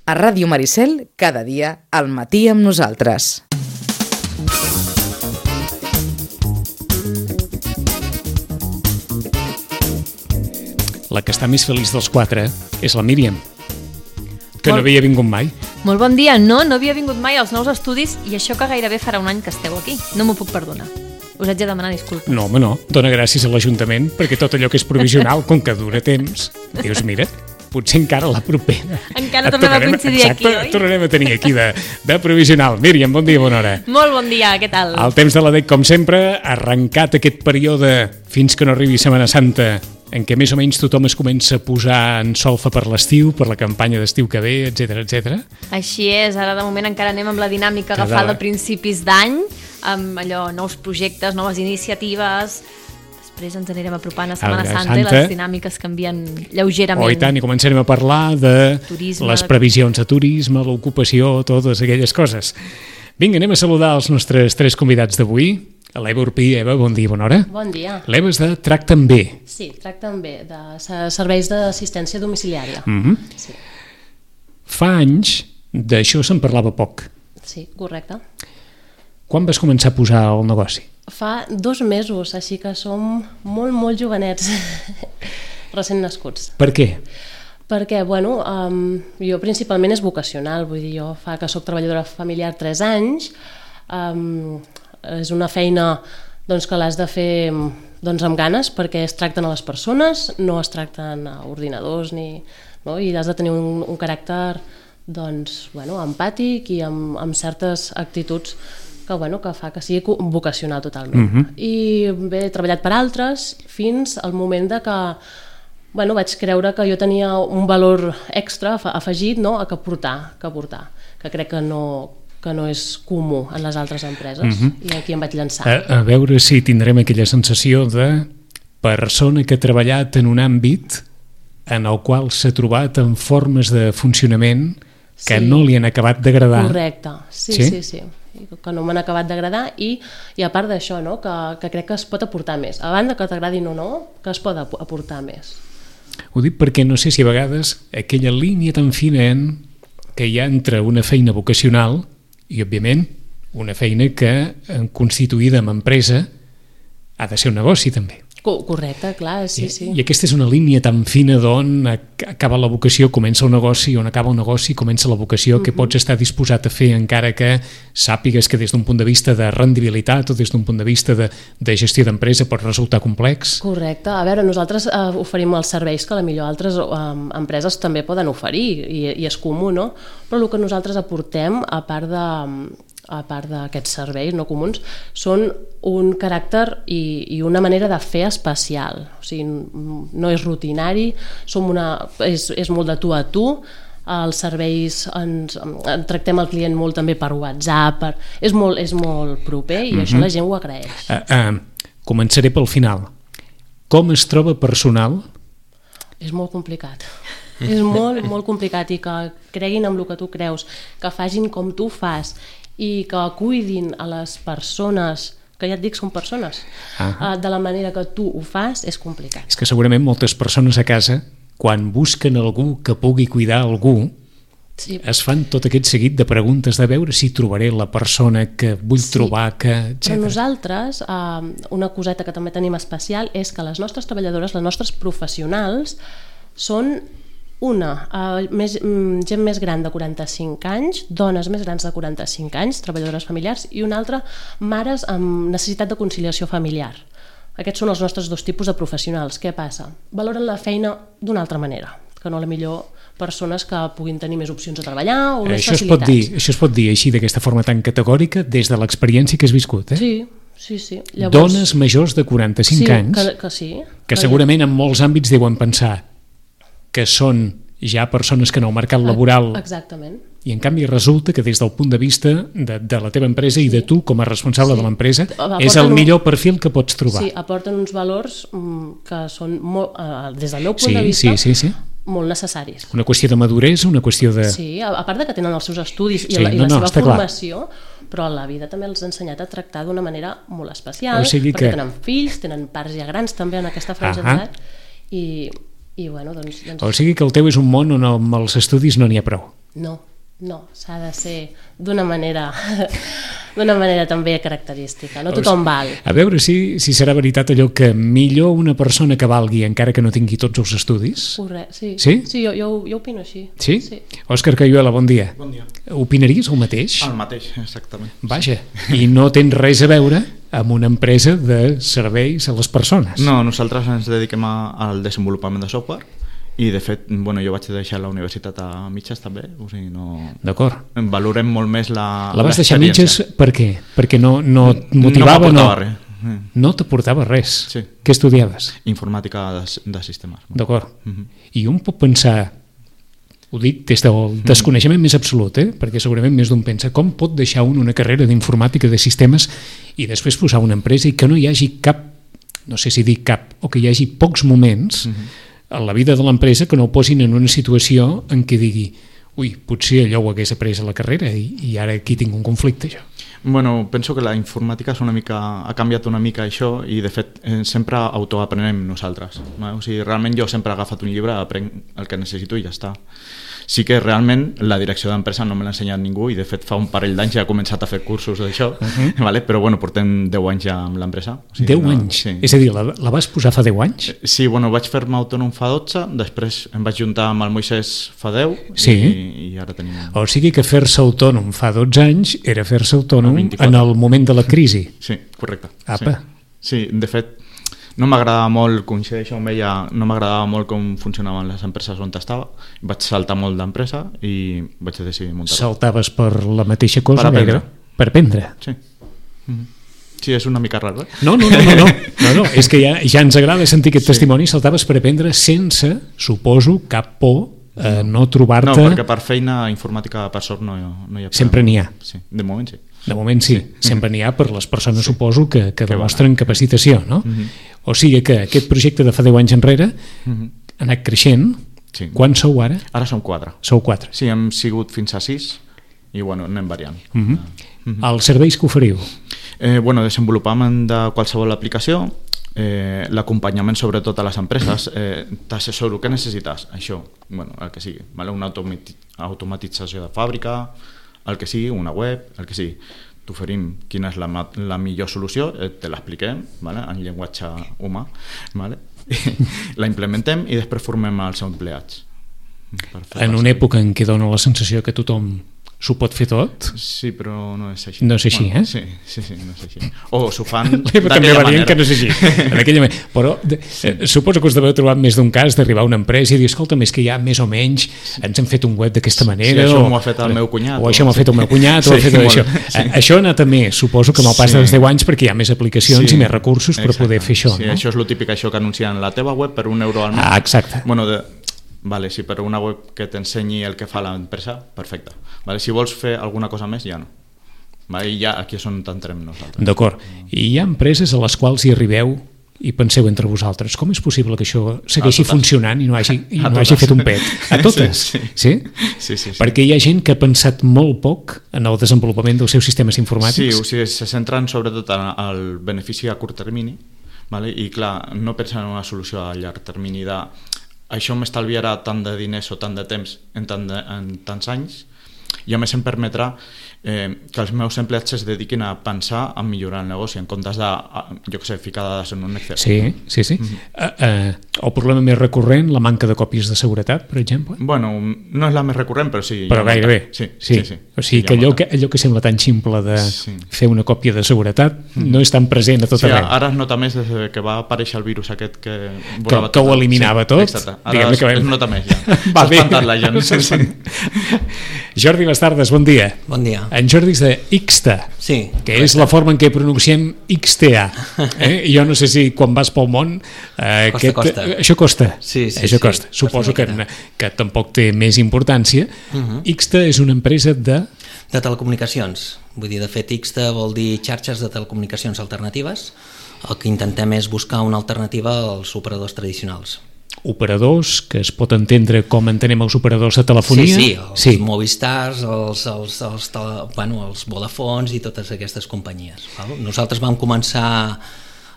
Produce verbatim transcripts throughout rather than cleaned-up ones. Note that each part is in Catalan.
A Ràdio Maricel, cada dia, al matí amb nosaltres. La que està més feliç dels quatre és la Míriam, que no havia vingut mai. Molt bon dia. No, no havia vingut mai als nous estudis i això que gairebé farà un any que esteu aquí. No m'ho puc perdonar. Us haig de demanar disculpes. No, home, no. Dóna gràcies a l'Ajuntament perquè tot allò que és provisional, com que dura temps, dius, mira, potser encara la propera. Encara tornem a coincidir exacte, aquí, oi? Tornarem a tenir aquí de, de provisional. Míriam, bon dia, bona hora. Molt bon dia, què tal? El temps de la D E C, com sempre, arrencat aquest període fins que no arribi Setmana Santa, en què més o menys tothom es comença a posar en solfa per l'estiu, per la campanya d'estiu que ve, etcètera, etcètera. Així és, ara de moment encara anem amb la dinàmica Cada... agafada a principis d'any, amb allò, nous projectes, noves iniciatives. Després ens anirem apropant a Setmana Santa, Santa i les dinàmiques canvien lleugerament. Oh, i tant, i començarem a parlar de turisme, les previsions de turisme, l'ocupació, totes aquelles coses. Vinga, anem a saludar els nostres tres convidats d'avui. L'Eva Urpí. Eva, bon dia, bona hora. Bon dia. L'Eva és de Tracta'n Bé. Sí, Tracta'n Bé, de serveis d'assistència domiciliària. Mm-hmm. Sí. Fa anys d'això se'n parlava poc. Sí, correcte. Quan vas començar a posar el negoci? Fa dos mesos, així que som molt, molt jovenets, recent nascuts. Per què? Perquè, bueno, um, jo principalment és vocacional, vull dir, jo fa que soc treballadora familiar tres anys, um, és una feina doncs, que l'has de fer doncs, amb ganes perquè es tracten a les persones, no es tracten a ordinadors ni, no? I has de tenir un, un caràcter doncs, bueno, empàtic i amb, amb certes actituds que, bueno, que fa que sigui vocacional totalment. Mm-hmm. I bé, he treballat per altres fins al moment de que bueno, vaig creure que jo tenia un valor extra afegit, no? a que portar, que portar, que crec que no que no és comú en les altres empreses, mm-hmm. i aquí em vaig llançar. A, a veure si tindrem aquella sensació de persona que ha treballat en un àmbit en el qual s'ha trobat en formes de funcionament que sí. no li han acabat d'agradar. Correcte, sí, sí, sí, sí. Que no m'han acabat d'agradar i, i a part d'això, no? que, que crec que es pot aportar més. A banda que t'agradin o no, que es pot aportar més. Ho dic perquè no sé si a vegades aquella línia tan fina que hi ha entre una feina vocacional i, òbviament, una feina que, constituïda amb empresa, ha de ser un negoci, també. Correcte, clar, sí, I, sí. I aquesta és una línia tan fina d'on acaba la vocació, comença el negoci, on acaba el negoci, comença la vocació, uh-huh. que pots estar disposat a fer encara que sàpigues que des d'un punt de vista de rendibilitat o des d'un punt de vista de, de gestió d'empresa pot resultar complex. Correcte. A veure, nosaltres eh, oferim els serveis que potser altres eh, empreses també poden oferir i, i és comú, no? Però el que nosaltres aportem, a part de... a part d'aquests serveis no comuns, són un caràcter i, i una manera de fer especial. O sigui, no és rutinari, som una, és, és molt de tu a tu, els serveis ens, en tractem el client molt també per WhatsApp, per, és, molt, és molt proper i mm-hmm. això la gent ho agraeix. Uh, uh, començaré pel final. Com es troba personal? És molt complicat. És molt, molt complicat i que creguin en el que tu creus, que facin com tu fas i que cuidin a les persones, que ja et dic són persones, uh-huh. de la manera que tu ho fas, és complicat. És que segurament moltes persones a casa, quan busquen algú que pugui cuidar algú, sí. es fan tot aquest seguit de preguntes de veure si trobaré la persona que vull sí. trobar, que, etcètera. Però nosaltres, eh, una coseta que també tenim especial és que les nostres treballadores, les nostres professionals, són una, uh, més, um, gent més gran de quaranta-cinc anys, dones més grans de quaranta-cinc anys, treballadores familiars, i una altra, mares amb necessitat de conciliació familiar. Aquests són els nostres dos tipus de professionals. Què passa? Valoren la feina d'una altra manera, que no a la millor persones que puguin tenir més opcions de treballar o més això facilitats. Es pot dir, això es pot dir així, d'aquesta forma tan categòrica, des de l'experiència que has viscut, eh? Sí, sí, sí. Llavors, dones majors de quaranta-cinc sí, anys, que, que, sí, que segurament en molts àmbits deuen pensar que són ja persones que en el mercat laboral... Exactament. I en canvi resulta que des del punt de vista de, de la teva empresa sí. i de tu com a responsable sí. de l'empresa aporten és el millor perfil que pots trobar. Sí, aporten uns valors mm, que són, molt, eh, des del meu punt sí, de vista, sí, sí, sí. molt necessaris. Una qüestió de maduresa, una qüestió de... Sí, a, a part de que tenen els seus estudis i sí, la, i no, la no, seva formació, clar. Però la vida també els ha ensenyat a tractar d'una manera molt especial, o sigui perquè que... tenen fills, tenen pares ja grans també en aquesta franja d'edat, i... I, bueno, doncs, doncs... O sigui que el teu és un món on amb els estudis no n'hi ha prou. No, no, s'ha de ser d'una manera d'una manera també característica, no tothom val. A veure si, si serà veritat allò que millor una persona que valgui encara que no tingui tots els estudis. Correcte, sí. Sí? Sí, jo, jo, jo opino així. Sí? Sí. Òscar Cayuela, bon dia. Bon dia. Opinaries el mateix? El mateix, exactament. Vaja, i no tens res a veure amb una empresa de serveis a les persones. No, nosaltres ens dediquem a, al desenvolupament de software i de fet, bueno, jo vaig deixar la universitat a mitges també, o sigui, no... D'acord. Valorem molt més la La vas deixar a mitges per què? Perquè no, no et motivava? No m'aportava res. No t'aportava res? Sí. Què estudiaves? Informàtica de, de sistemes. D'acord. Uh -huh. I un pot pensar, ho dic des del desconeixement més absolut, eh? Perquè segurament més d'un pensa, com pot deixar un una carrera d'informàtica de sistemes i després posar una empresa i que no hi hagi cap, no sé si dic cap, o que hi hagi pocs moments uh -huh. a la vida de l'empresa que no ho posin en una situació en què digui, ui, potser allò ho hagués après a la carrera i, i ara aquí tinc un conflicte, jo. Bueno, penso que la informàtica és una mica, ha canviat una mica això i de fet eh, sempre autoaprenem nosaltres. No? O sigui, realment jo sempre he agafat un llibre, aprenc el que necessito i ja està. Sí que realment la direcció d'empresa no me l'ha ensenyat ningú i de fet fa un parell d'anys ja he començat a fer cursos d'això, uh -huh. vale? Però bueno, portem deu anys ja amb l'empresa. O sigui, deu no, anys? Sí. És a dir, la, la vas posar fa deu anys? Sí, bueno, vaig fer-me autònom fa dotze, després em vaig juntar amb el Moisès fa deu sí. i, i ara tenim... O sigui que fer-se autònom fa dotze anys era fer-se autònom en el moment de la crisi. Sí, correcte. Apa. Sí, sí de fet, no m'agradava molt, coincideixo amb ella, no m'agradava molt com funcionaven les empreses on estava. Vaig saltar molt d'empresa i vaig decidir muntar-ho. Saltaves per la mateixa cosa? Per aprendre. Gaire? Per aprendre? Sí. Mm-hmm. Sí, és una mica raro, eh? No, no, no, no, no. no, no. És que ja, ja ens agrada sentir aquest sí. testimoni. Saltaves per aprendre sense, suposo, cap por a no trobar-te... No, perquè per feina informàtica per sort no, no hi ha... Sempre n'hi ha. Sí, de moment sí. De moment sí, sí. Sempre n'hi ha per les persones, sí. suposo, que, que demostren que capacitació, no? Mm-hmm. O sigui que aquest projecte de fa deu anys enrere mm-hmm. ha anat creixent. Sí. Quants sou ara? Ara som quatre. Sou quatre. Sí, hem sigut fins a sis i bueno, anem variant. Mm-hmm. Mm-hmm. Els serveis que oferiu? Eh, bueno, desenvolupament de qualsevol aplicació, eh, l'acompanyament sobretot a les empreses, eh, t'assessoro, què necessites? Això, bueno, el que sigui, vale? Una automati automatització de fàbrica, el que sigui, una web, el que sigui. T'oferim quina és la, la millor solució, eh, te l'expliquem, vale? En llenguatge humà, vale? la implementem i després formem els empleats. En una època en què dona la sensació que tothom s'ho pot fer tot? Sí, però no és així. No és així, bueno, eh? Sí, sí, sí, no és així. O s'ho fan també varien que no és així. En aquella manera. Però de, sí. eh, suposo que us deveu trobar més d'un cas d'arribar a una empresa i dir, escolta, més que ja més o menys sí. ens hem fet un web d'aquesta manera. Sí, això o, m'ho ha fet el meu cunyat. O, o això m'ho ha fet el meu cunyat. Sí, o ha fet això. Sí. Això ha anat a més, suposo que amb el pas sí. dels deu anys, perquè hi ha més aplicacions sí. i més recursos per exacte. Poder fer això. Sí, no? això és el típic, això que anuncien la teva web per un euro al mes. Ah, exacte. Bueno, de... Vale, sí, per una web que t'ensenyi el que fa l'empresa, perfecte. Vale, si vols fer alguna cosa més, ja no. Vale, i ja aquí és on t'entrem nosaltres. D'acord. I hi ha empreses a les quals hi arribeu i penseu entre vosaltres, com és possible que això segueixi funcionant i no hagi, i no hagi fet un pet? A totes? Sí, sí. Sí? Sí, sí, sí. Perquè hi ha gent que ha pensat molt poc en el desenvolupament dels seus sistemes informàtics. Sí, o sigui, se centren sobretot en el benefici a curt termini, vale? I clar, no pensen en una solució a llarg termini de això m'estalviarà tant de diners o tant de temps en, tant de, en tants anys i a més em permetrà eh, que els meus empleats es dediquin a pensar en millorar el negoci en comptes de, jo què sé, ficar dades en un Excel. Sí, sí, sí. Mm-hmm. uh, uh, el problema més recurrent, la manca de còpies de seguretat, per exemple? Bueno, no és la més recurrent, però sí. Però gairebé. Sí, sí. sí, sí. O sigui que allò, que allò que sembla tan ximple de sí. fer una còpia de seguretat mm-hmm. no és tan present a tot sí, arreu. Ara es nota més des que va aparèixer el virus aquest que... Que, que ho eliminava sí, tot. Exacte. Ara es, que vam... es nota més ja. Va S'ha espantat la gent. Sí, sí. Jordi Bastardes, bon dia. Bon dia. En Jordi és de Ixta, sí, que correcte. És la forma en què pronunciem X T A. Eh? Jo no sé si quan vas pel món... Eh, costa, aquest, costa. Això costa. Sí, sí, això sí. costa. Suposo que, que tampoc té més importància. Uh -huh. Ixta és una empresa de... De telecomunicacions. Vull dir, de fet, Ixta vol dir xarxes de telecomunicacions alternatives. El que intentem és buscar una alternativa als operadors tradicionals. Operadors, que es pot entendre com entenem els operadors de telefonia. Sí, sí, els sí. Movistars, els, els, els, tele, bueno, els Vodafons i totes aquestes companyies. Val? Nosaltres vam començar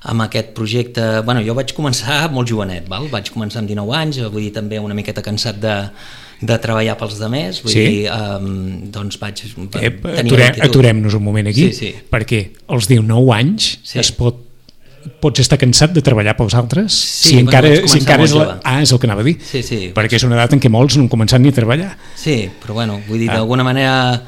amb aquest projecte, bueno, jo vaig començar molt jovenet, val? Vaig començar amb dinou anys, vull dir també una miqueta cansat de, de treballar pels demés, vull Sí? dir, um, doncs vaig Eh, tenir aturem, l'actitud. aturem-nos un moment aquí, Sí, sí. perquè als dinou anys Sí. es pot, pots estar cansat de treballar pels altres Sí, si bueno, encara, vaig si començar encara molt és la... jove. Ah, és el que anava a dir. Sí, sí. Perquè és una edat en què molts no han començat ni a treballar. Sí, però bueno, vull dir, Ah. d'alguna manera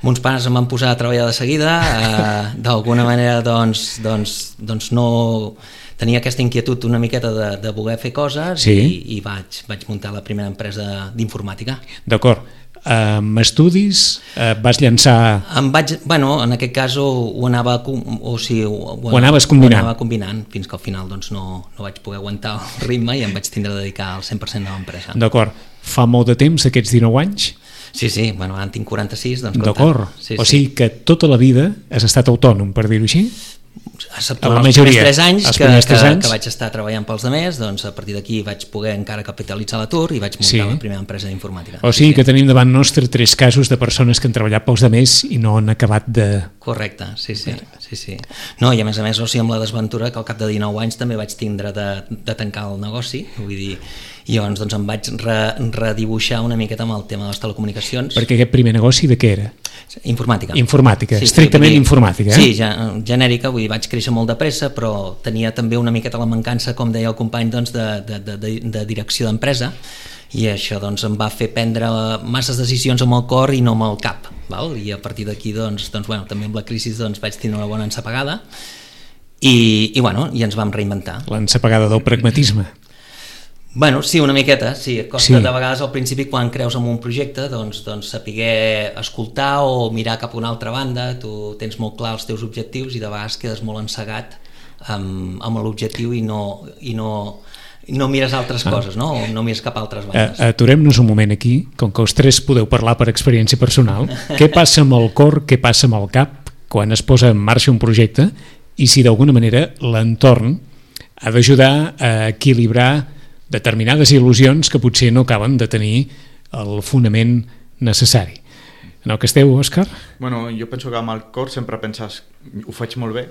mons pares em van posar a treballar de seguida, eh, d'alguna manera doncs, doncs, doncs no tenia aquesta inquietud una miqueta de, de voler fer coses Sí. i, i vaig, vaig muntar la primera empresa d'informàtica. D'acord. Amb estudis eh, vas llançar... Em vaig, bueno, en aquest cas ho, ho anava com- o sigui, ho, Ho anaves combinant. Ho anava combinant fins que al final doncs, no, no vaig poder aguantar el ritme i em vaig tindre de dedicar al cent per cent a l'empresa. D'acord. Fa molt de temps, aquests dinou anys? Sí, sí, bueno, ara en tinc quaranta-sis, doncs compte. D'acord. Sí, O sí. sigui que tota la vida has estat autònom, per dir-ho així? Excepte la els majoria, primers tres anys, els que, primers tres que, anys. que vaig estar treballant pels demés, doncs a partir d'aquí vaig poder encara capitalitzar l'atur i vaig muntar Sí. la primera empresa d'informàtica. O sigui que tenim davant nostre tres casos de persones que han treballat pels demés i no han acabat de... Correcte, sí, sí, sí, sí. No, i a més a més, o sigui, amb la desventura que al cap de dinou anys també vaig tindre de, de tancar el negoci, vull dir, i llavors doncs, em vaig re, redibuixar una miqueta amb el tema de les telecomunicacions. Perquè aquest primer negoci de què era? Informàtica. Informàtica, Sí, estrictament vull dir, informàtica, eh? Sí, ja, genèrica, vull dir, vaig créixer molt de pressa, però tenia també una miqueta la mancança, com deia el company, doncs, de, de, de, de, de direcció d'empresa, i això doncs, em va fer prendre masses decisions amb el cor i no amb el cap, val? I a partir d'aquí doncs, doncs, bueno, també amb la crisi doncs, vaig tenir una bona ensapegada i, i, bueno, i ens vam reinventar. L'ensapegada del pragmatisme. Bueno, sí, una miqueta, sí. Costa Sí. de vegades al principi quan creus en un projecte doncs, doncs saber escoltar o mirar cap a una altra banda, tu tens molt clar els teus objectius i de vegades quedes molt encegat amb, amb l'objectiu i no, i no, i no mires altres ah. coses, no? O no mires cap a altres bandes. Uh, Aturem-nos un moment aquí, com que els tres podeu parlar per experiència personal. Què passa amb el cor, què passa amb el cap quan es posa en marxa un projecte i si d'alguna manera l'entorn ha d'ajudar a equilibrar determinades il·lusions que potser no acaben de tenir el fonament necessari. En el que esteu, Òscar? Bueno, jo penso que amb el cor sempre penses ho faig molt bé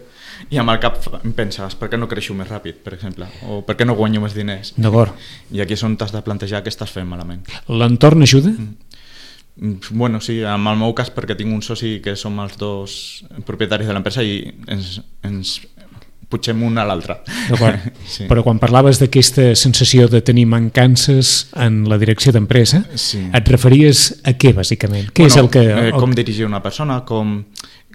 i amb el cap penses per què no creixo més ràpid, per exemple, o per què no guanyo més diners. D'acord. I aquí és on t'has de plantejar què estàs fent malament. L'entorn ajuda? Mm, Bueno, sí, en el meu cas perquè tinc un soci que som els dos propietaris de l'empresa i ens, ens pugem un a l'altre. D'acord. Sí. Però quan parlaves d'aquesta sensació de tenir mancances en la direcció d'empresa, Sí. et referies a què, bàsicament? Què és el que... eh, el... com dirigir una persona, com,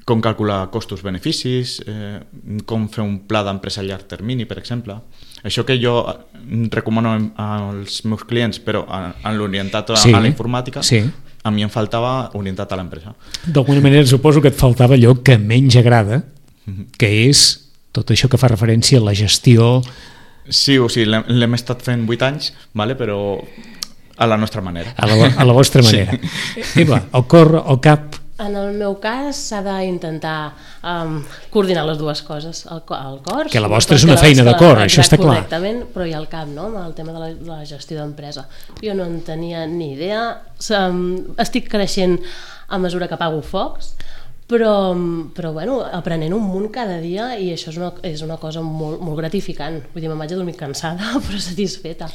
com calcular costos-beneficis, eh, com fer un pla d'empresa a llarg termini, per exemple. Això que jo recomano als meus clients, però en, en l'orientat a, Sí. a la informàtica, Sí. a mi em faltava orientat a l'empresa. D'alguna manera suposo que et faltava allò que menys agrada, que és tot això que fa referència a la gestió... Sí, o sigui, l'hem l'hem estat fent vuit anys, vale? Però a la nostra manera. A la, a la vostra manera. Sí. Eva, el cor, el cap... En el meu cas s'ha d'intentar um, coordinar les dues coses, el, co- el cor... Que la vostra és que una la feina de vostra- cor, això està clar. Correctament, però hi ha el cap, no?, amb el tema de la, de la gestió d'empresa. Jo no en tenia ni idea, um, estic creixent a mesura que apago focs, però, però bueno, aprenent un munt cada dia i això és una, és una cosa molt, molt gratificant. Vull dir, me'n vaig a dormir cansada però satisfeta.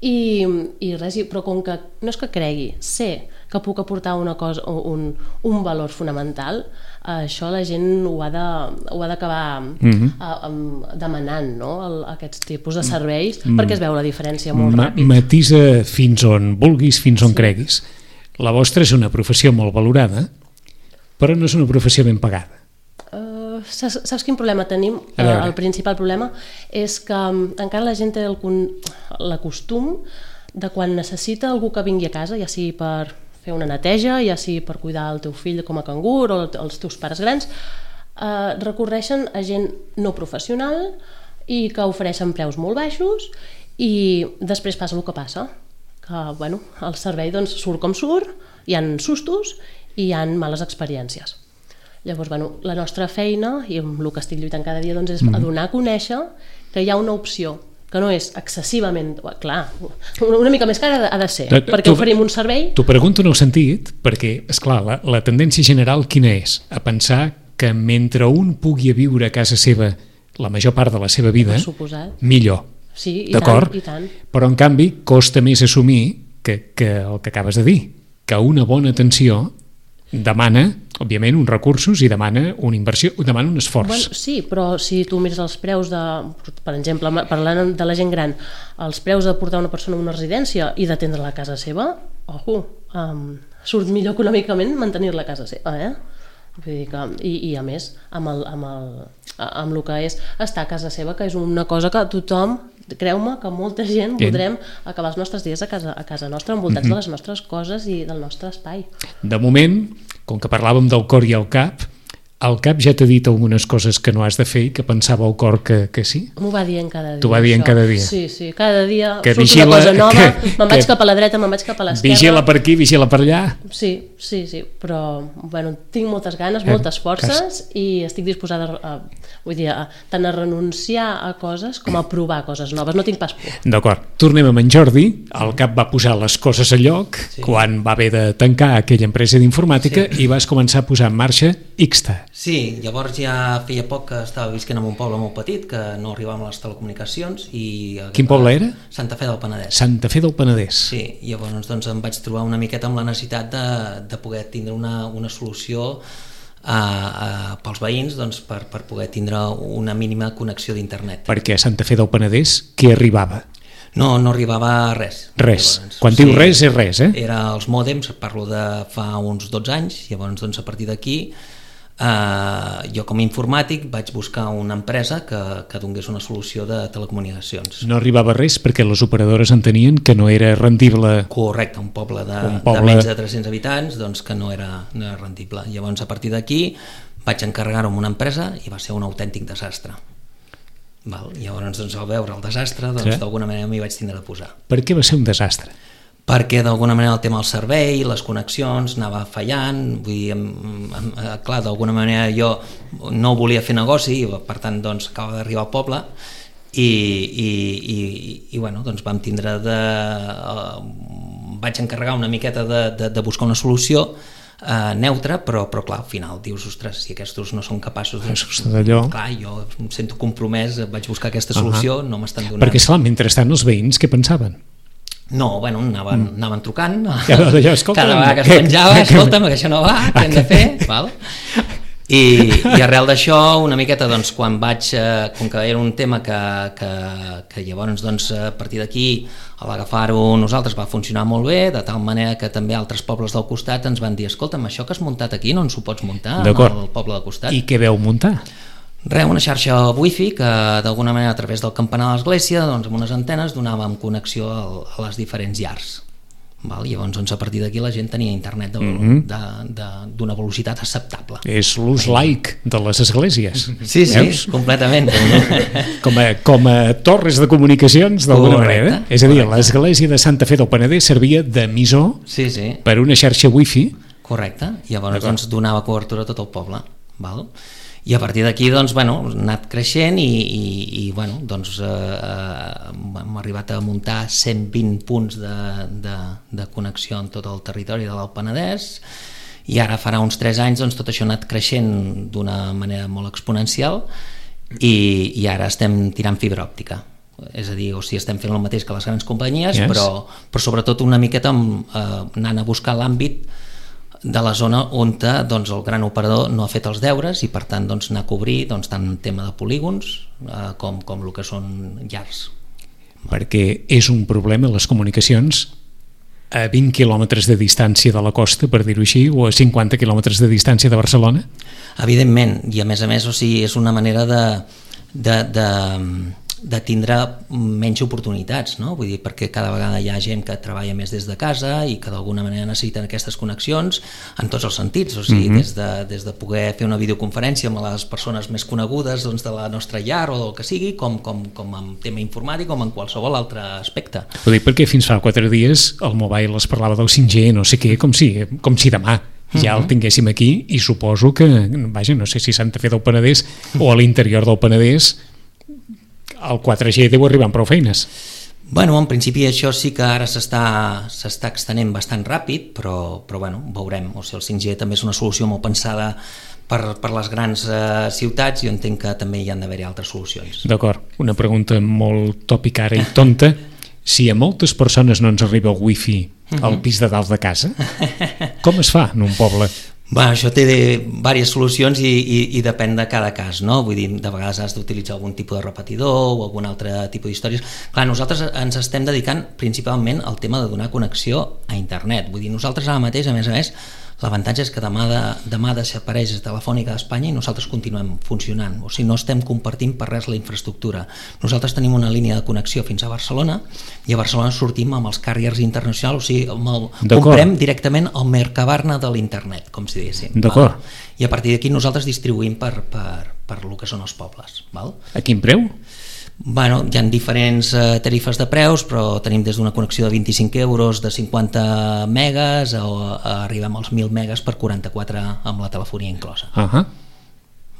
I, i res, i- però com que no és que cregui, sé que puc aportar una cosa, un, un valor fonamental, això la gent ho ha de- ho ha d'acabar Mhm. uh, um, demanant, no?, el, aquests tipus de serveis, perquè es veu la diferència molt Ma ràpid. matisa fins on vulguis, fins on creguis. La vostra és una professió molt valorada, però no és una professió ben pagada. Uh, saps, saps quin problema tenim? A veure. Uh, el principal problema és que um, encara la gent té el con- l'acostum de quan necessita algú que vingui a casa, ja sigui per fer una neteja, ja sigui per cuidar el teu fill com a cangur o els teus pares grans, uh, recorreixen a gent no professional i que ofereixen preus molt baixos i després passa el que passa, que bueno, el servei doncs, surt com surt, hi ha sustos i hi ha males experiències. Llavors, bueno, la nostra feina, i amb el que estic lluitant cada dia, doncs, és mm. donar a conèixer que hi ha una opció que no és excessivament... Clar, una mica més cara ha de ser, Tu- perquè tu- oferim un servei... T'ho pregunto en el sentit, perquè, esclar, la, la tendència general quina és? A pensar que mentre un pugui viure a casa seva la major part de la seva vida, Per suposat. millor. Sí, i D'acord? tant, i tant. Però, en canvi, costa més assumir que, que el que acabes de dir, que una bona atenció demana, òbviament, uns recursos i demana una inversió, demana un esforç. Bueno, sí, però si tu mires els preus de, per exemple, parlant de la gent gran, els preus de portar una persona a una residència i d'atendre-la a casa seva, ojo, um, surt millor econòmicament mantenir-la a casa seva, eh? Vull dir que, i, i a més, amb el, amb, el, amb el que és estar a casa seva, que és una cosa que tothom, creu-me que molta gent voldrem acabar els nostres dies a casa, a casa nostra, envoltats mm-hmm. de les nostres coses i del nostre espai. De moment, com que parlàvem del cor i el cap, el cap ja t'ha dit algunes coses que no has de fer i que pensava el cor que, que sí? M'ho va dient cada dia. T'ho va dient això. cada dia? Sí, sí, cada dia que surt vigila, una cosa nova, me'n vaig que, cap a la dreta, me'n vaig cap a l'esquerra. Vigila per aquí, vigila per allà. Sí, sí, sí, però bueno, tinc moltes ganes, moltes forces i estic disposada a, vull dir, a, tant a renunciar a coses com a provar coses noves, no tinc pas por. D'acord, tornem amb en Jordi. El cap va posar les coses a lloc sí. quan va haver de tancar aquella empresa d'informàtica sí. i vas començar a posar en marxa Ixta. Sí, llavors ja feia poc que estava visquent en un poble molt petit que no arribàvem a les telecomunicacions i... Quin poble era? Santa Fe del Penedès. Santa Fe del Penedès. Sí, llavors doncs, em vaig trobar una miqueta amb la necessitat de, de poder tindre una, una solució a, a, pels veïns doncs, per, per poder tindre una mínima connexió d'internet. Perquè a Santa Fe del Penedès què arribava? No, no arribava a res. Res. Llavors, quan sí, diu res, és res, eh? Era els mòdems, parlo de fa uns dotze anys, llavors doncs, a partir d'aquí Uh, jo com a informàtic vaig buscar una empresa que, que donés una solució de telecomunicacions. No arribava res perquè les operadores entenien que no era rendible. Correcte, un poble de, un poble... de menys de tres-cents habitants, doncs que no era, no era rendible. Llavors a partir d'aquí vaig encarregar-ho amb una empresa i va ser un autèntic desastre. Val? Llavors doncs, al veure el desastre doncs, sí. d'alguna manera m'hi vaig tindre de posar. Per què va ser un desastre? Perquè d'alguna manera el tema del servei, les connexions anava fallant, vull dir, em, em, clar, d'alguna manera jo no volia fer negoci i per tant doncs acaba d'arribar al poble i, i, i, i bueno, doncs vam tindre de uh, vaig encarregar una miqueta de, de, de buscar una solució Uh, neutre, però, però clar, al final dius, ostres, si aquests no són capaços doncs, clar, jo em sento compromès, vaig buscar aquesta solució, uh-huh. no m'estan donant. Perquè clar, mentrestant els veïns què pensaven? No, bueno, anaven, mm. anaven trucant ja, allò, cada vegada que es penjava, escolta'm, que això no va, què hem de fer? Val? I, i arrel d'això una miqueta doncs, quan vaig eh, com que era un tema que, que, que llavors doncs, a partir d'aquí a l'agafar-ho nosaltres va funcionar molt bé, de tal manera que també altres pobles del costat ens van dir, escolta'm, això que has muntat aquí no ens ho pots muntar en el poble del costat. I què veu muntar? Res, una xarxa wifi que d'alguna manera a través del campanar de l'església doncs, amb unes antenes donàvem connexió a, a les diferents llars. Val? Llavors doncs, a partir d'aquí la gent tenia internet d'una mm-hmm. velocitat acceptable. És l'ús laic de les esglésies. Sí, sí, veus? Completament. com, a, com a torres de comunicacions d'alguna manera. És a dir, l'església de Santa Fe del Penedès servia d'emissor sí, sí. per una xarxa wifi. Correcte, i llavors doncs, donava cobertura a tot el poble. Val? I a partir d'aquí doncs, bueno, hem anat creixent i, i, i bueno, doncs, eh, hem arribat a muntar cent vint punts de, de, de connexió en tot el territori de l'Alt Penedès i ara farà uns tres anys doncs, tot això ha anat creixent d'una manera molt exponencial i, i ara estem tirant fibra òptica. És a dir, o sigui, estem fent el mateix que les grans companyies, yes. però, però sobretot una miqueta amb, eh, anant a buscar l'àmbit de la zona on doncs, el gran operador no ha fet els deures i per tant doncs, anar a cobrir doncs, tant el tema de polígons eh, com, com el que són llars. Perquè és un problema les comunicacions a vint quilòmetres de distància de la costa, per dir-ho així, o a cinquanta quilòmetres de distància de Barcelona? Evidentment, i a més a més o sigui, és una manera de, de, de, de tindre menys oportunitats, no? Vull dir, perquè cada vegada hi ha gent que treballa més des de casa i que d'alguna manera necessiten aquestes connexions en tots els sentits, o sigui, mm-hmm. des, de, des de poder fer una videoconferència amb les persones més conegudes doncs, de la nostra llar o del que sigui, com, com, com en tema informàtic com en qualsevol altre aspecte. Ho dic perquè fins fa quatre dies el mobile es parlava del cinc G, no sé què, com si, com si demà ja el tinguéssim aquí i suposo que, vaja, no sé si Santa Fe del Penedès o a l'interior del Penedès el quatre G deu arribar amb prou feines. Bueno, en principi això sí que ara s'està s'està extenent bastant ràpid, però, però bueno, veurem. O sigui, el cinc G també és una solució molt pensada per, per les grans eh, ciutats i jo entenc que també hi han d'haver-hi altres solucions. D'acord, una pregunta molt tòpica ara i tonta. si a moltes persones no ens arriba el wifi al pis de dalt de casa, com es fa en un poble? Bé, això té diverses solucions i, i, i depèn de cada cas, no? Vull dir, de vegades has d'utilitzar algun tipus de repetidor o algun altre tipus d'històries. Clar, nosaltres ens estem dedicant principalment al tema de donar connexió a internet. Vull dir, nosaltres ara mateix, a més a més, l'avantatge és que demà, de, demà desapareix Telefònica d'Espanya i nosaltres continuem funcionant, o sigui, no estem compartint per res la infraestructura. Nosaltres tenim una línia de connexió fins a Barcelona i a Barcelona sortim amb els carriers internacionals, o sigui, amb el, comprem directament el Mercabarna de l'internet, com si diguéssim. D'acord. I a partir d'aquí nosaltres distribuïm per, per, per el que són els pobles. Val? A quin preu? Bueno, hi ha diferents eh, tarifes de preus, però tenim des d'una connexió de vint-i-cinc euros de cinquanta megas o eh, arribem als mil megas per quaranta-quatre amb la telefonia inclosa. Uh -huh.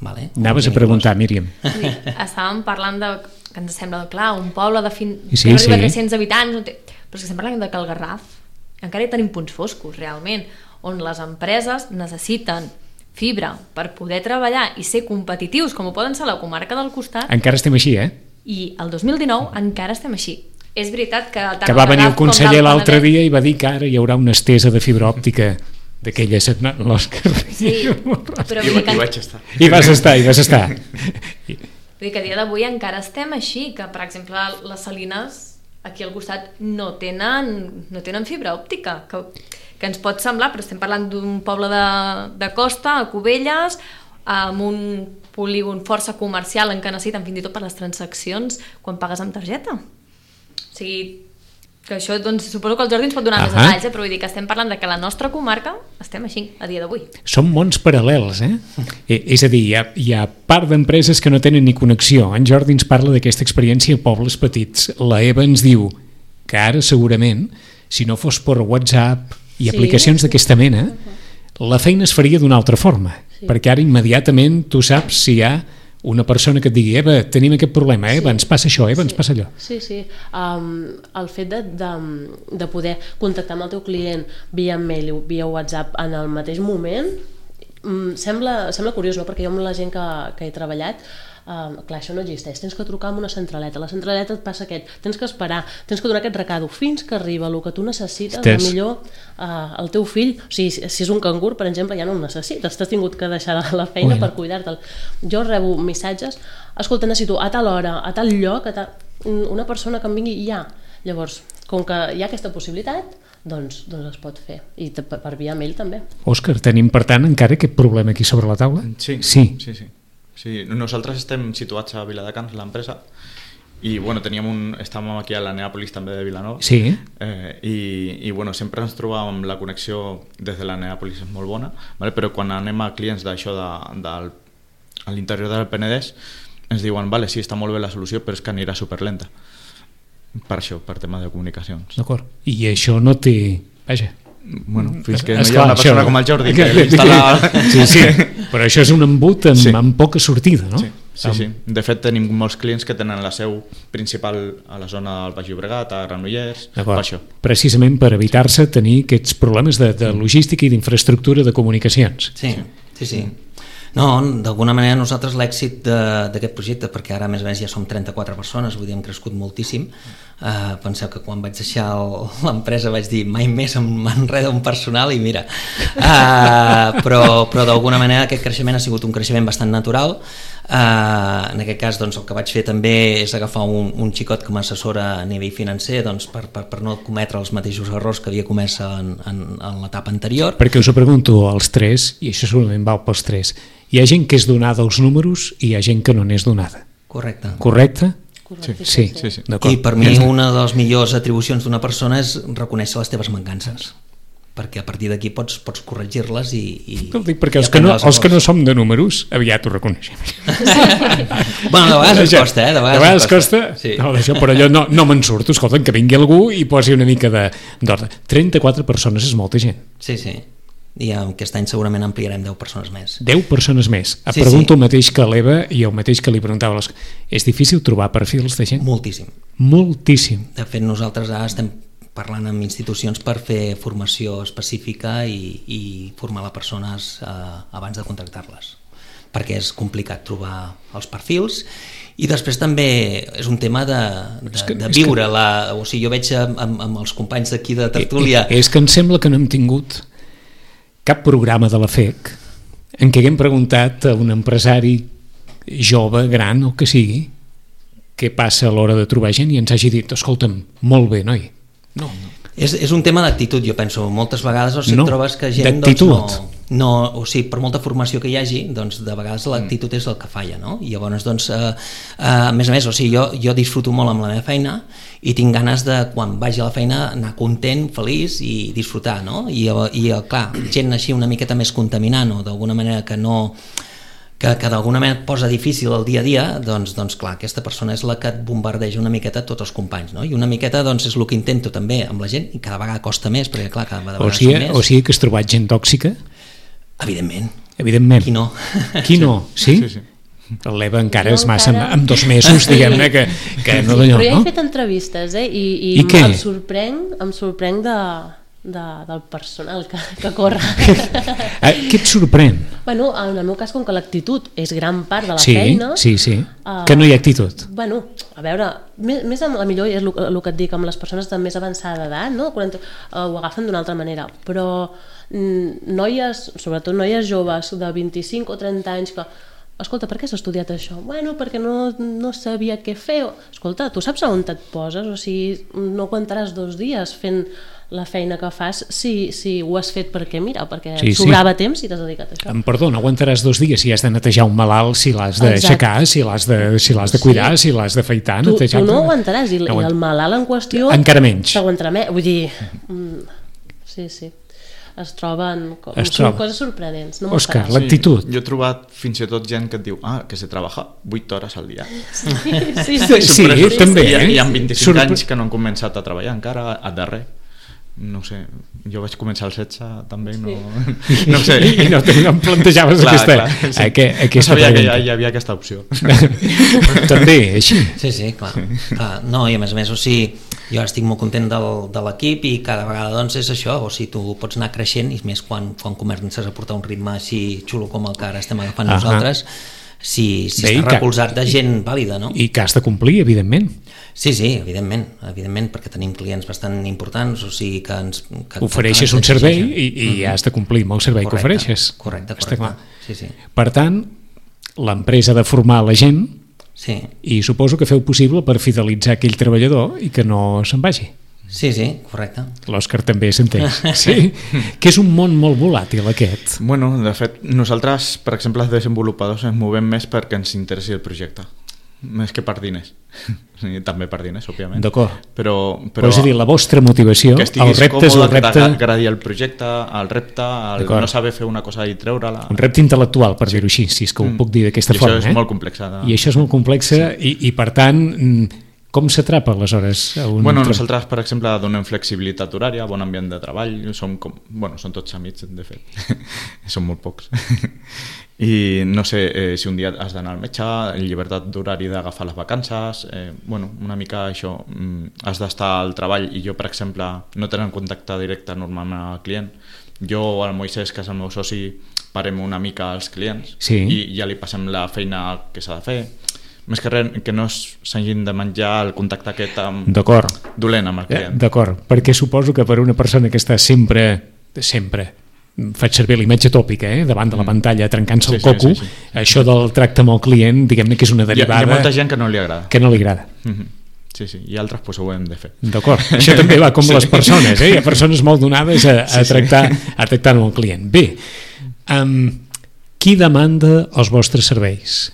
Vale? Anaves a preguntar, Míriam. Sí, estàvem parlant de que ens sembla, clar, un poble de fin... sí, que arriba a sí. tres-cents habitants, no té... però és que estem parlant de que el Garraf encara hi tenim punts foscos, realment, on les empreses necessiten fibra per poder treballar i ser competitius, com ho poden ser a la comarca del costat. Encara estem així, eh? I el dos mil dinou encara estem així. És veritat que... Que va venir el conseller l'altre dia i va dir que ara hi haurà una estesa de fibra òptica d'aquella setmana, l'Òscar. Sí, però vull dir que... I vaig estar. I vas estar, i vas estar. Vull dir que a dia d'avui encara estem així, que per exemple les Salines aquí al costat no tenen, no tenen fibra òptica, que, que ens pot semblar, però estem parlant d'un poble de, de costa, a Cubelles, amb un polígon força comercial en què necessiten fins i tot per les transaccions quan pagues amb targeta. O sigui, que això, doncs, suposo que el Jordi ens pot donar uh -huh. més detalls, eh? Però vull dir que estem parlant de que la nostra comarca estem així, a dia d'avui. Són mons paral·lels, eh? És a dir, hi ha, hi ha part d'empreses que no tenen ni connexió. En Jordi ens parla d'aquesta experiència a pobles petits. La Eva ens diu que ara, segurament, si no fos per WhatsApp i sí. aplicacions d'aquesta mena, uh -huh. la feina es faria d'una altra forma. Sí. Perquè ara immediatament tu saps si hi ha una persona que et digui Eva, tenim aquest problema, Eva, sí. ens passa això, Eva, sí. ens passa allò. Sí, sí. Um, el fet de, de, de poder contactar amb el teu client via mail o via WhatsApp en el mateix moment um, sembla, sembla curiós, no? Perquè jo amb la gent que, que he treballat Uh, clar, això no existeix, tens que trucar amb una centraleta, la centraleta et passa aquest, tens que esperar, tens que donar aquest recado fins que arriba el que tu necessites. Estàs... Millor uh, el teu fill, o sigui, si és un cangur, per exemple, ja no el necessites, t'has tingut que deixar la feina Ui. per cuidar-te'l. Jo rebo missatges, escolta, necessito a tal hora, a tal lloc, a tal... una persona que em vingui ja. Llavors, com que hi ha aquesta possibilitat, doncs, doncs es pot fer, i per, per via mail també. Òscar, tenim per tant encara aquest problema aquí sobre la taula? Sí, sí, sí, sí. Sí, nosaltres estem situats a Viladecans, l'empresa, i bueno, teníem un, estàvem aquí a la Neàpolis també de Vilanova, sí. eh, i, i bueno, sempre ens trobàvem la connexió des de la Neàpolis és molt bona, vale? Però quan anem a clients d'això de, de, a l'interior del Penedès ens diuen, vale, sí, està molt bé la solució, però és que anirà superlenta. Per això, per tema de comunicacions. D'acord. I això no té... Vaja. Bueno, fins que no Esclar, hi ha una persona això... com el Jordi que l'instal·la... Sí, sí, però això és un embut amb, sí. amb poca sortida, no? Sí, sí, sí. De fet, tenim molts clients que tenen la seu principal a la zona del Baix Llobregat, a Granollers, per això. Precisament per evitar-se tenir aquests problemes de, de logística i d'infraestructura de comunicacions. Sí, sí, sí. No, d'alguna manera nosaltres l'èxit d'aquest projecte, perquè ara a més a més ja som trenta-quatre persones, vull dir, hem crescut moltíssim. Uh, penseu que quan vaig deixar l'empresa vaig dir mai més m'enreda un personal i mira. Uh, però però d'alguna manera aquest creixement ha sigut un creixement bastant natural. Uh, en aquest cas doncs, el que vaig fer també és agafar un, un xicot com a assessora a nivell financer doncs, per, per, per no cometre els mateixos errors que havia comès en, en, en l'etapa anterior. Perquè us ho pregunto als tres, i això segurament val pels tres, hi ha gent que és donada als números i hi ha gent que no n'és donada. Correcte. Correcte? Sí, sí, sí, sí. I per mi una de les millors atribucions d'una persona és reconèixer les teves mancances, perquè a partir d'aquí pots, pots corregir-les i, i... No dic perquè els que no, els que no som de números aviat ho reconeixem. Bueno, de vegades es costa, eh? De vegades, de vegades costa, costa. Sí. No, d'això, però allò no, no me'n surto. Escolta, que vingui algú i posi una mica d'ordre. trenta-quatre persones és molta gent. Sí, sí. I aquest any segurament ampliarem deu persones més. deu persones més. Sí, Pregunto sí. el mateix que l'Eva i el mateix que li preguntava. Les... És difícil trobar perfils de gent? Moltíssim. Moltíssim. De fet, nosaltres ara estem parlant amb institucions per fer formació específica i, i formar les persones eh, abans de contractar-les. perquè és complicat trobar els perfils. I després també és un tema de, de, que, de viure que... la, o sigui, jo veig amb, amb els companys d'aquí de tertúlia... És que em sembla que no hem tingut cap programa de la F E C en què haguem preguntat a un empresari jove, gran o que sigui, què passa a l'hora de trobar gent i ens hagi dit, escolta'm, molt bé, noi. No, no. És, és un tema d'actitud, jo penso. Moltes vegades o sigui, no, trobes que gent doncs, no, no, o sigui, per molta formació que hi hagi, doncs, de vegades l'actitud és el que falla, no? I llavors, doncs, eh, eh, a més a més, o sigui, jo, jo disfruto molt amb la meva feina i tinc ganes de, quan vagi a la feina, anar content, feliç i disfrutar, no? I, i clar, gent així una miqueta més contaminant o d'alguna manera que no... que, que d'alguna manera et posa difícil el dia a dia, doncs, doncs clar, aquesta persona és la que et bombardeja una miqueta tots els companys, no? I una miqueta doncs, és el que intento també amb la gent, i cada vegada costa més, perquè clar, cada vegada o sigui, són més. O sigui que has trobat gent tòxica? Evidentment. Evidentment. Qui no? Qui no? Sí? Sí, sí. L'Eva encara no, és massa encara... amb dos mesos, diguem-ne, que, que no d'allò, no? Però ja he fet entrevistes, eh? I, i, I què? em sorprenc, em sorprenc de, de, del personal que, que corre. Què et sorprèn? Bueno, en el meu cas, com que l'actitud és gran part de la sí, feina... Sí, sí, uh, que no hi ha actitud. Bueno, a veure, més, més amb la millor és el, el que et dic, amb les persones de més avançada d'edat, no? quaranta, uh, ho agafen d'una altra manera, però mm, noies, sobretot noies joves de vint-i-cinc o trenta anys que escolta, per què has estudiat això? Bueno, perquè no, no sabia què fer. Escolta, tu saps on et poses? O sigui, no aguantaràs dos dies fent la feina que fas si, si ho has fet perquè, mira, perquè sí, et sobrava sí. temps i t'has dedicat a això. Em perdó, no aguantaràs dos dies si has de netejar un malalt, si l'has d'aixecar, si l'has de, si l'has de cuidar, sí. si l'has d'afaitar, tu, netejar... Tu no aguantaràs, i, no i el malalt en qüestió... Encara menys. T'aguantarà més, vull dir... Mm, sí, sí. Es troben es troba. coses sorprenents. No Òscar, l'actitud. Sí, jo he trobat fins i tot gent que et diu ah, que se treballa vuit hores al dia. Sí, sí, sí. sí, sí, sí també. I, I amb vint-i-cinc Sorpre... anys que no han començat a treballar encara, a darrer. No sé, jo vaig començar als setze també, no, sí. no sé. I no, no em plantejaves clar, aquesta, clar, sí. aquest, aquesta no sabia pregunta. que hi, hi havia aquesta opció. També, així. Sí, sí, clar. clar. No, i a més a més, o sigui, jo estic molt content del, de l'equip i cada vegada doncs és això, o sigui, tu pots anar creixent i més quan, quan comences a portar un ritme així xulo com el que ara estem agafant uh -huh. nosaltres, si, si Bé, està recolzat de gent vàlida, no? I que has de complir, evidentment. Sí, sí, evidentment, evidentment, perquè tenim clients bastant importants, o sigui que ens... Que, ofereixes que un servei i, i mm-hmm. has de complir amb el servei correcte, que ofereixes. Correcte, correcte. Clar. Sí, sí. Per tant, l'empresa ha de formar la gent sí. i suposo que feu possible per fidelitzar aquell treballador i que no se'n vagi. Sí, sí, correcte. L'Òscar també s'entén. Sí? Que és un món molt volàtil, aquest. Bueno, de fet, nosaltres, per exemple, els desenvolupadors ens movem més perquè ens interessi el projecte. Més que per diners. També per diners, òbviament. D'acord. Però, però, però és a dir, la vostra motivació, el repte és el repte... Que t'agradi el projecte, el repte, el no saber fer una cosa i treure-la... Un repte intel·lectual, per sí. dir-ho així, si és que ho puc dir d'aquesta I forma. I això és eh? molt complex. De... I això és molt complex sí. i, i, per tant... Com s'atrapa, aleshores? A un bueno, nosaltres, per exemple, donem flexibilitat horària, bon ambient de treball, som, com, bueno, són tots amics, de fet, són molt pocs. I no sé, eh, si un dia has d'anar al metge, llibertat d'horari d'agafar les vacances, eh, bueno, una mica això, mm, has d'estar al treball i jo, per exemple, no tenen contacte directe normalment amb el client. Jo, el Moisès, que és el meu soci, parem una mica als clients sí. i ja li passem la feina que s'ha de fer. Més que res, que no s'hagin de menjar el contacte aquest amb... dolent amb el client. D'acord, perquè suposo que per una persona que està sempre, sempre, faig servir la imatge tòpica, eh? davant de la pantalla, trencant-se sí, el coco, sí, sí, sí. això del tracte amb el client, diguem-ne que és una derivada... Hi ha, hi ha molta gent que no li agrada. Que no li agrada. Mm-hmm. Sí, sí, i altres pues, ho hem de fer. D'acord, això també va com sí. les persones, eh? Hi ha persones molt donades a, a, tractar, sí, sí. a tractar amb el client. Bé, um, qui demanda els vostres serveis?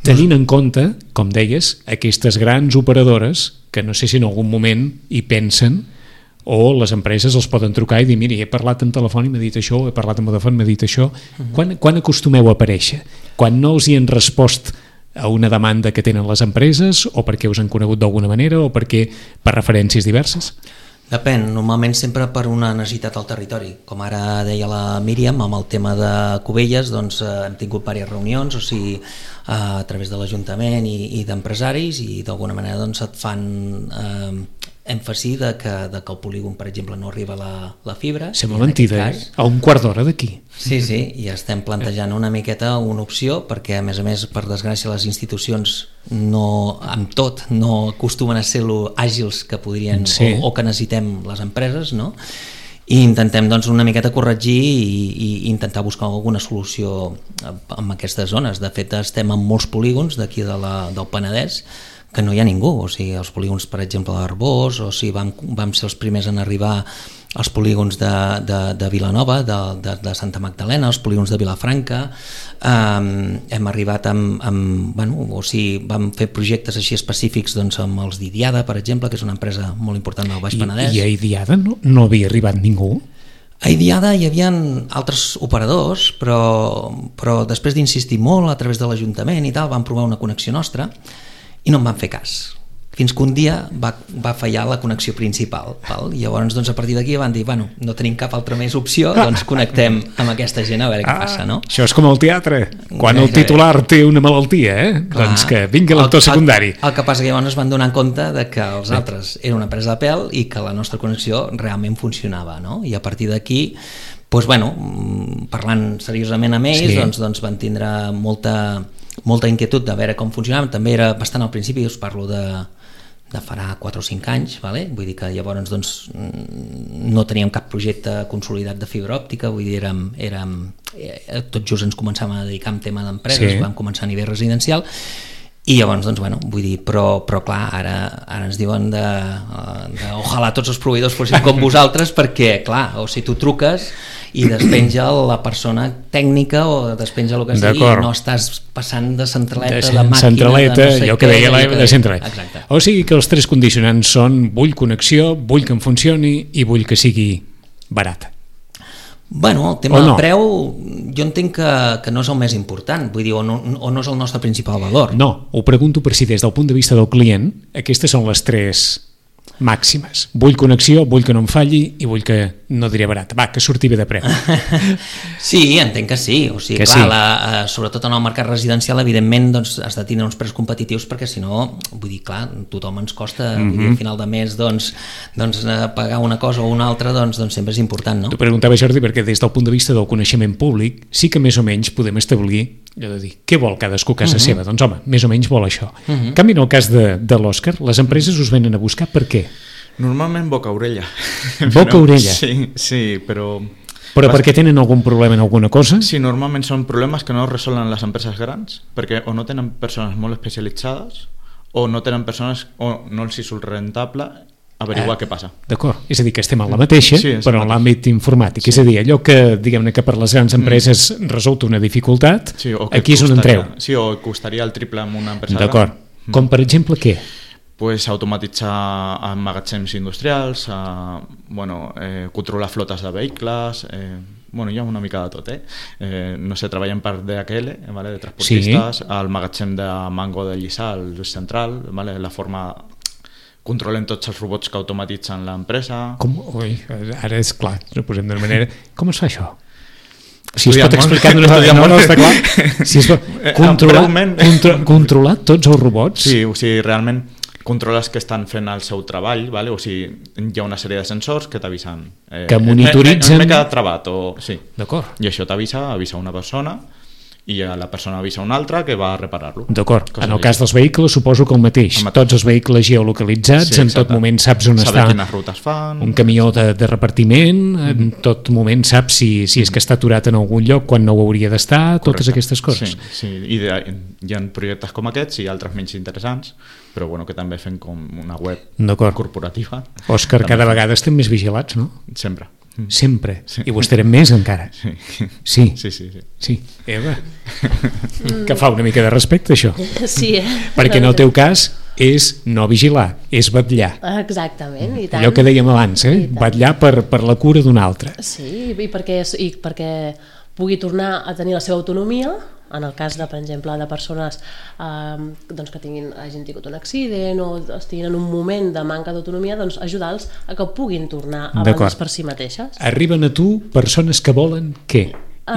Tenint en compte, com deies, aquestes grans operadores que no sé si en algun moment hi pensen o les empreses els poden trucar i dir mira, he parlat en telèfon i m'ha dit això, he parlat en Vodafone i m'ha dit això. Uh-huh. Quan, quan acostumeu a aparèixer? Quan no els hi han respost a una demanda que tenen les empreses o perquè us han conegut d'alguna manera o perquè per referències diverses? Depèn, normalment sempre per una necessitat al territori. Com ara deia la Míriam, amb el tema de Cubelles, doncs eh, hem tingut diverses reunions, o sigui, eh, a través de l'Ajuntament i, i d'empresaris, i d'alguna manera doncs, et fan eh, èmfasi de que, de que el polígon, per exemple, no arriba la, la fibra. Sembla mentida, cas, eh? A un quart d'hora d'aquí. Sí, sí, i estem plantejant una miqueta una opció, perquè a més a més, per desgràcia, les institucions no, amb tot, no acostumen a ser lo àgils que podrien sí. o, o que necessitem les empreses, no? I intentem doncs, una miqueta corregir i, i intentar buscar alguna solució en aquestes zones. De fet, estem en molts polígons d'aquí de la, del Penedès que no hi ha ningú, o sigui, els polígons, per exemple, d'Arbós, o sigui, vam, vam ser els primers en arribar als polígons de, de, de Vilanova, de, de, de Santa Magdalena, els polígons de Vilafranca, um, hem arribat amb, amb bueno, o sigui, vam fer projectes així específics doncs, amb els d'Idiada, per exemple, que és una empresa molt important del Baix Penedès. I, i a Idiada no, no havia arribat ningú? A Idiada hi havia altres operadors, però, però després d'insistir molt a través de l'Ajuntament i tal, van provar una connexió nostra i no en van fer cas, fins que un dia va, va fallar la connexió principal, val? I llavors doncs, a partir d'aquí van dir, bueno, no tenim cap altra més opció, doncs connectem amb aquesta gent a veure què ah, passa, no? Això és com el teatre, quan el titular té una malaltia, eh? Clar, doncs que vingui l'actor secundari. El, el que passa que llavors es van donar compte de que els altres eren una empresa de pèl i que la nostra connexió realment funcionava, no? I a partir d'aquí, doncs, bueno, parlant seriosament amb ells, sí. doncs, doncs van tindre molta... molta inquietud de veure com funcionava, també era bastant al principi, us parlo de, de farà quatre o cinc anys, vale? Vull dir que llavors doncs, no teníem cap projecte consolidat de fibra òptica, vull dir, érem, érem, tot just ens començàvem a dedicar a un tema d'empreses, sí. vam començar a nivell residencial, i llavors, doncs, bueno, vull dir, però, però clar, ara, ara ens diuen de, de ojalà tots els proveïdors fossin com vosaltres, perquè, clar, o si tu truques i despenja la persona tècnica o despenja el que sigui i no estàs passant de centraleta, de, de màquina, centraleta, de no sé allò que deia l'Eva, de centraleta. Exacte. O sigui que els tres condicionants són vull connexió, vull que em funcioni i vull que sigui barata. Bueno, el tema no? del preu jo entenc que, que no és el més important, vull dir, o no, o no és el nostre principal valor. No, ho pregunto per si des del punt de vista del client aquestes són les tres màximes. Vull connexió, vull que no em falli i vull que, no diré barat, va, que surti bé de preu. Sí, entenc que sí. O sigui, que clar, sí. la, sobretot en el mercat residencial, evidentment, doncs, has de tenir uns preus competitius perquè, si no, vull dir, clar, tothom ens costa, mm-hmm. vull dir, al final de mes, doncs, doncs pagar una cosa o una altra, doncs, doncs sempre és important, no? T'ho preguntava, Jordi, perquè des del punt de vista del coneixement públic sí que més o menys podem establir allò de dir, què vol cadascú a casa uh-huh. seva? Doncs home, més o menys vol això. Uh-huh. En canvi, en el cas de, de l'Òscar, les empreses us venen a buscar per què? Normalment boca-orella. Boca-orella? Sí, sí, però... Però perquè tenen algun problema en alguna cosa? Sí, normalment són problemes que no resolen les empreses grans, perquè o no tenen persones molt especialitzades, o no tenen persones, o no els hi surt rentable averiguar eh, què passa. D'acord, és a dir, que estem a la mateixa, sí, però en l'àmbit informàtic. Sí. És a dir, allò que, diguem-ne, que per les grans empreses mm. resulta una dificultat, sí, aquí és on entreu. Sí, o costaria el triple amb una empresa gran. D'acord. Mm. Com, per exemple, què? Pues automatitzar magatzems industrials, a, bueno, eh, controlar flotes de vehicles, eh, bueno, hi ha una mica de tot, eh? eh no sé, treballen per D H L, vale, de transportistes, sí. El magatzem de Mango de Lliçà, el central, vale, la forma... Controlem tots els robots que automatitzen l'empresa. Com? Ui, ara és clar, no posem d'una manera... Com es fa això? Si es pot explicar d'una manera... No, no, està clar. Si es pot controlar, contra, controlar tots els robots... Sí, o sigui, realment controles que estan fent el seu treball, vale? O sigui, hi ha una sèrie de sensors que t'avisen... Eh, que monitoritzen... M'he quedat travat, o... Sí. D'acord. I això t'avisa, avisa una persona... i la persona avisa una altra que va a reparar-lo. D'acord, en el cas dels vehicles suposo que el mateix, el mateix. Tots els vehicles geolocalitzats, sí, en tot moment saps on Saber està quines rutes fan, un camió de, de repartiment, mm-hmm. en tot moment saps si, si és que està aturat en algun lloc quan no ho hauria d'estar, totes aquestes coses. Sí, sí. I de, hi ha projectes com aquests i altres menys interessants, però bueno, que també fem com una web corporativa. Òscar, cada vegada estem més vigilats, no? Sempre. Sempre, sí. I vostè era més encara. Sí. Sí, sí, sí, sí. sí. Eva, que fa una mica de respecte això. Sí, eh? Perquè en el teu cas és no vigilar, és vetllar. Exactament, i tant. Allò que dèiem abans, eh? Vetllar per, per la cura d'un altre. Sí, i perquè, i perquè pugui tornar a tenir la seva autonomia, en el cas de, per exemple, de persones eh, doncs que tinguin, hagin tingut un accident o estiguin en un moment de manca d'autonomia, doncs ajudar-los a que puguin tornar a valdre's per si mateixes. Arriben a tu persones que volen què?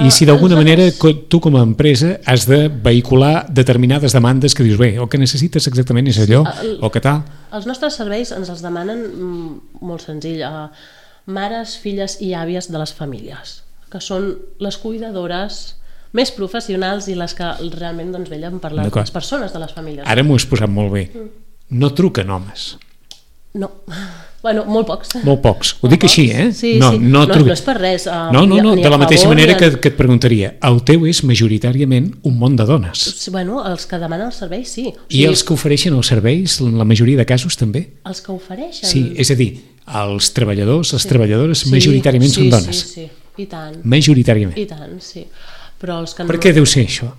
I si d'alguna manera tu com a empresa has de vehicular determinades demandes que dius, bé, el que necessites exactament és allò, o que tal... Els nostres serveis ens els demanen mm, molt senzill, eh, mares, filles i àvies de les famílies, que són les cuidadores més professionals i les que realment doncs, vellen per les, les persones de les famílies. Ara m'ho has posat molt bé. No truquen homes. No. Bueno, molt pocs. Molt pocs. Ho dic així, eh? Sí, no, sí. No, no, tru... no és per res. Uh, no, no, no. Ni, de la mateixa favor, manera ni... que, que et preguntaria, el teu és majoritàriament un món de dones. Bueno, els que demanen els serveis, sí. O sigui, I els que ofereixen els serveis, en la majoria de casos, també? Els que ofereixen? Sí, és a dir, els treballadors, les sí. treballadores, sí, majoritàriament sí, són dones. Sí, sí, i tant. Majoritàriament. I tant, sí. Però els que per no... què deu ser això?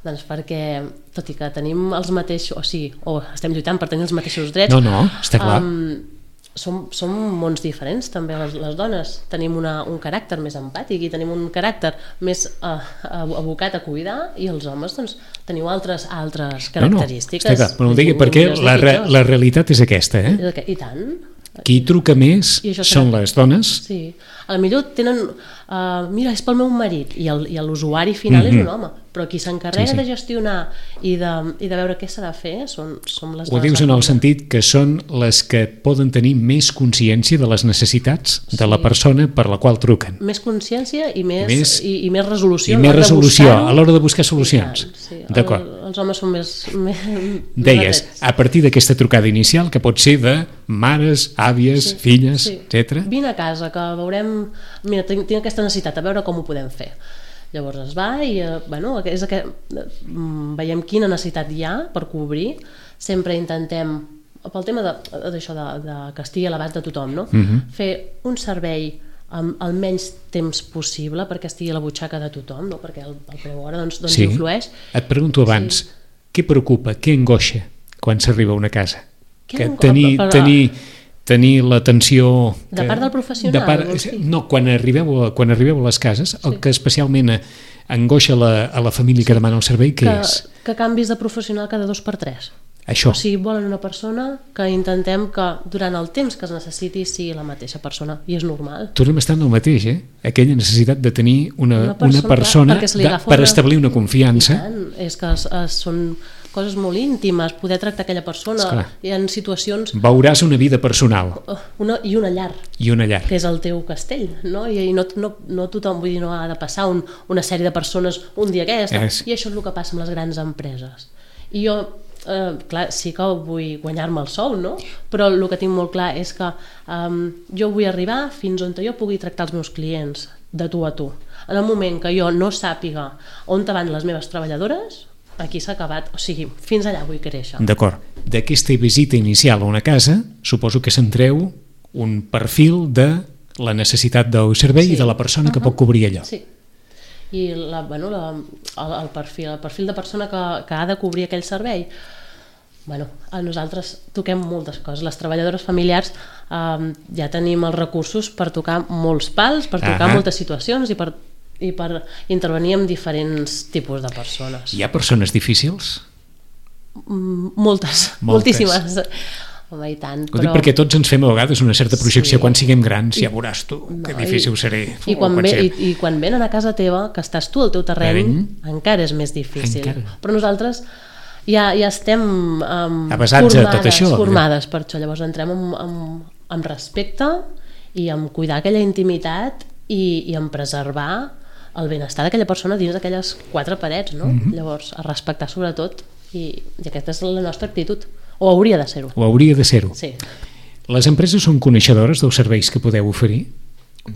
Doncs perquè, tot i que tenim els mateixos, o sigui, o estem lluitant per tenir els mateixos drets... No, no, està clar. Um, som, som mons diferents, també, les, les dones. Tenim una, un caràcter més empàtic i tenim un caràcter més uh, abocat a cuidar, i els homes, doncs, teniu altres, altres característiques. No, no, està clar, però no ho digui perquè la, re, la realitat és aquesta, eh? I tant. Qui truca més són les dones. Sí, a lo millor tenen uh, mira, és pel meu marit, i l'usuari final mm-hmm. és un home, però qui s'encarrega sí, sí. de gestionar i de, i de veure què s'ha de fer són, són les dones. Ho dius en el sentit que són les que poden tenir més consciència de les necessitats sí. de la persona per la qual truquen. Més consciència i més, més, i, i més resolució. I més resolució a l'hora de buscar solucions. Sí, d'acord. El, els homes són més... més Deies, a partir d'aquesta trucada inicial, que pot ser de mares, àvies, sí, filles, sí. etcètera. Vine a casa, que veurem... Mira, tinc, tinc aquesta necessitat, a veure com ho podem fer. Llavors es va i, eh, bueno, és que, veiem quina necessitat hi ha per cobrir. Sempre intentem, pel tema d'això de, de, de que estigui a l'abast de tothom, no? Uh-huh. fer un servei amb el menys temps possible perquè estigui a la butxaca de tothom, no? Perquè el, el preu hora doncs, doncs sí. influeix. Et pregunto abans, sí. què preocupa, què angoixa quan s'arriba a una casa? Què que angoixa? tenir, Però... tenir, tenir l'atenció... De part del professional? De part, no, quan arribeu, a, quan arribeu a les cases, sí. el que especialment angoixa la, a la família que demana el servei, què que, és? Que canvis de professional cada dos per tres. Això. O sigui, volen una persona que intentem que durant el temps que es necessiti sigui la mateixa persona, i és normal. Tornem a estar en el mateix, eh? Aquella necessitat de tenir una, una persona, una persona clar, de, per una... establir una confiança. I tant, és que es, es, són coses molt íntimes, poder tractar aquella persona. Esclar. Hi ha situacions... Veuràs una vida personal. Una, I una llar. I una llar. Que és el teu castell, no? I, i no, no, no tothom, vull dir, no ha de passar un, una sèrie de persones un dia aquesta. És... I això és el que passa amb les grans empreses. I jo... Uh, clar, sí que vull guanyar-me el sou, no? Però el que tinc molt clar és que um, jo vull arribar fins on jo pugui tractar els meus clients de tu a tu. En el moment que jo no sàpiga on van les meves treballadores, aquí s'ha acabat, o sigui, fins allà vull créixer. D'acord. D'aquesta visita inicial a una casa, suposo que s'entreu un perfil de la necessitat del servei sí. i de la persona uh-huh. que pot cobrir allò. Sí. I la, bueno, la, el, el, perfil, el perfil de persona que, que ha de cobrir aquell servei, bueno, nosaltres toquem moltes coses. Les treballadores familiars eh, ja tenim els recursos per tocar molts pals, per tocar uh-huh. moltes situacions i per, i per intervenir amb diferents tipus de persones. Hi ha persones difícils? Mm, moltes, moltes, moltíssimes. Home, i tant, ho però... dic perquè tots ens fem a vegades una certa projecció sí. quan siguem grans, ja veuràs tu no, que difícil i, seré i quan, ve, i, i quan venen a casa teva, que estàs tu al teu terreny, Terreny. encara és més difícil encara. Però nosaltres ja, ja estem um, formades, tot això, formades per això, llavors entrem amb, amb, amb respecte i amb cuidar aquella intimitat i, i amb preservar el benestar d'aquella persona dins d'aquelles quatre parets, no? Mm-hmm. Llavors a respectar sobretot i, i aquesta és la nostra actitud. O hauria de ser-ho. O hauria de ser-ho. Sí. Les empreses són coneixedores dels serveis que podeu oferir?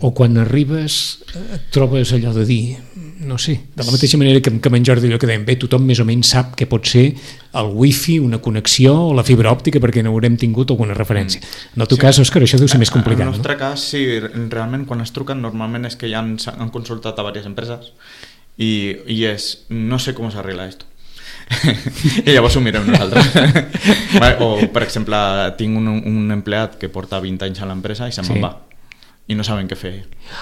O quan arribes et trobes allò de dir, no sé, de la mateixa manera que, que amb en Jordi allò que dèiem, bé, tothom més o menys sap que pot ser el wifi, una connexió o la fibra òptica perquè n'haurem tingut alguna referència. En el teu sí. cas, Òscar, això deu ser més complicat. En el nostre no? cas, sí, realment quan es truquen normalment és que ja han, han consultat a diverses empreses i, i és, no sé com s'arregla esto. I llavors ho mirem nosaltres. Vale, o per exemple tinc un, un empleat que porta vint anys a l'empresa i se'n sí. va i no saben què fer.